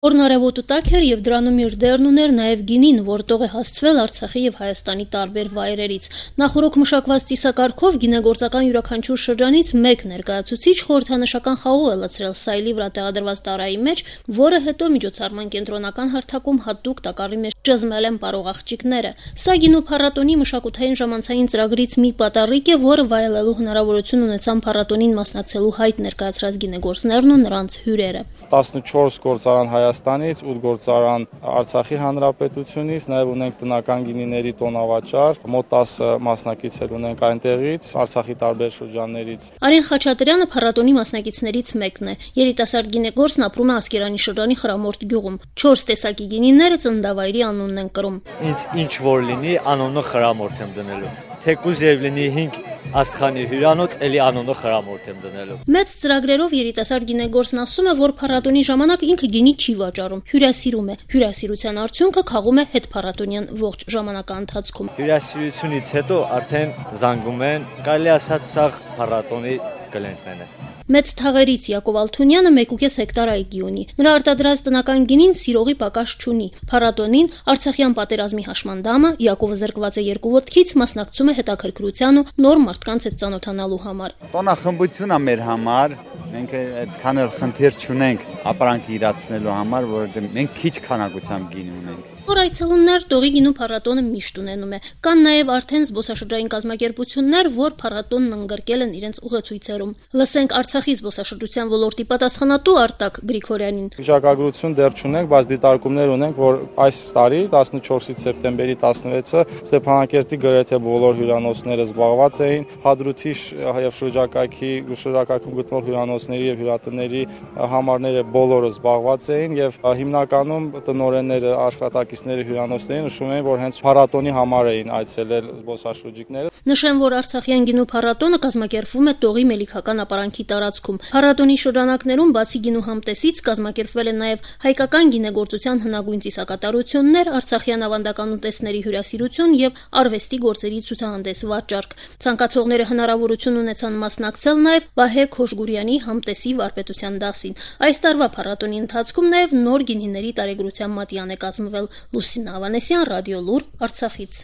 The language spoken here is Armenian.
Օրնարևոտու տակ էր եւ դրանում իր դերն ուներ նաեւ գինին, որ տող է հասցվել Արցախի եւ Հայաստանի տարբեր վայրերից։ Նախորոք մշակված ծիսակարգով գինեգործական յուրաքանչյուր շրջանից մեկ ներկայացուցիչ խորհրդանշական խաղող է լցրել սայլի վրա տեղադրված տարայի մեջ, որը հետո միջոցառման կենտրոնական հարթակում հատուկ տակառի մեջ ճզմել են պարող աղջիկները։ Սա գինու փառատոնի մշակութային ժամանցային ծրագրից մի պատառիկ է, որը վայելելու հնարավորություն ունեցան փառատոնին մասնակցելու հայտ ներկայացրած գինեգործներն ու նրանց հյուրերը։ 14 գործարան Հայաստանից, 8 գործարան Արցախի Հանրապետությունից, նաև ունենք տնական գինիների տոնավաճառ, մոտ 10 մասնակիցներ ունենք այնտեղից, Արցախի տարբեր շրջաններից։ Արեն Խաչատրյանը փառատոնի մասնակիցներից մեկն է։ Երիտասարդ գինեգործն ապրում է Ասկերանի շրջանի Խրամորդ գյուղում։ 4 տեսակի գինիները ծննդավայրի անունն են կրում։ Ինձ ինչ որ լինի, անունը Խրամորդ եմ դնելու։ Թեկուզ եւ լինի 5 աստղանի հյուրանոց, էլի անունը Խրամորդ եմ դնելու։ Մեծ ծրագրերով երիտասարդ գինեգործն ասում է, որ փառատոնի ժամանակ ինքը գինի չի վաճառում, հյուրասիրում է։ Հյուրասիրության արդյունքը քաղում է հետփառատոնյան ողջ ժամանակաընթացքում։ Հյուրասիրությունից հետո արդեն զանգում են, կարելի ասած սա փառատոնի կլենտն է։ Մեծ թաղերից Յակով Ալթունյանը 1.5 հեկտար այգի ունի։ Նրա արտադրած տնական գինին սիրողի պակաս չունի։ Փառատոնին Արցախյան պատերազմի հաշմանդամը Յակովը զրկված է 2 ոտքից, մասնակցում է հետաքրքրության ու նոր մարդկանց հետ ծանոթանալու համար։ Տոնախմբություն է մեր համար, մենք այդքան էլ խնդիր չունենք ապրանք իրացնելու համար, որովհետեւ մենք քիչ քանակությամբ գին ունենք։ Որ այցելուններ տողի գինու փառատոնը միշտ ունենում է։ Կան նաև արդեն զբոսաշրջային կազմակերպություններ, որ փառատոնն ընդգրկել են իրենց ուղեցույցերում։ Լսենք Արցախի զբոսաշրջության ոլորտի պատասխանատու Արտակ Գրիգորյանին։ Վիճակագրություն դեռ չունենք, բայց դիտարկումներ ունենք, որ այս տարի 14-ից սեպտեմբերի 16-ը Ստեփանակերտի գրեթե բոլոր հյուրանոցները զբաղված էին, Հադրութի եւ շրջակայքում գտնվող հյուրանոցների եւ հյուրատների համարները բոլորը զբաղված էին եւ հիմնականում տնօրենները աշխատակիցները հյուրանոցների նշում էին, որ հենց փառատոնի համար էին այցելել զբոսաշրջիկները։ Նշեմ, որ Արցախյան գինու փառատոնը կազմակերպվում է Տողի Մելիքական ապարանքի տարածքում։ Փառատոնի շրջանակներում բացի գինու համտեսից կազմակերպվել են նաև հայկական գինեգործության հնագույն ծիսակատարություններ, արցախյան ավանդական ուտեստների հյուրասիրություն եւ արվեստի գործերի ցուցահանդես վաճառք։ Ցանկացողները հնարավորություն ունեցան մասնակցել նաև Վահե Քոշգուրյանի համտեսի վարպետության դասին։ Այս տարվա փառատոնի ընթացքում նաև նոր գինիների տարեգրության մատյան է կազմվել։ Լուսինա Ավանեսյան, Ռադիո Լուր, Արցախից։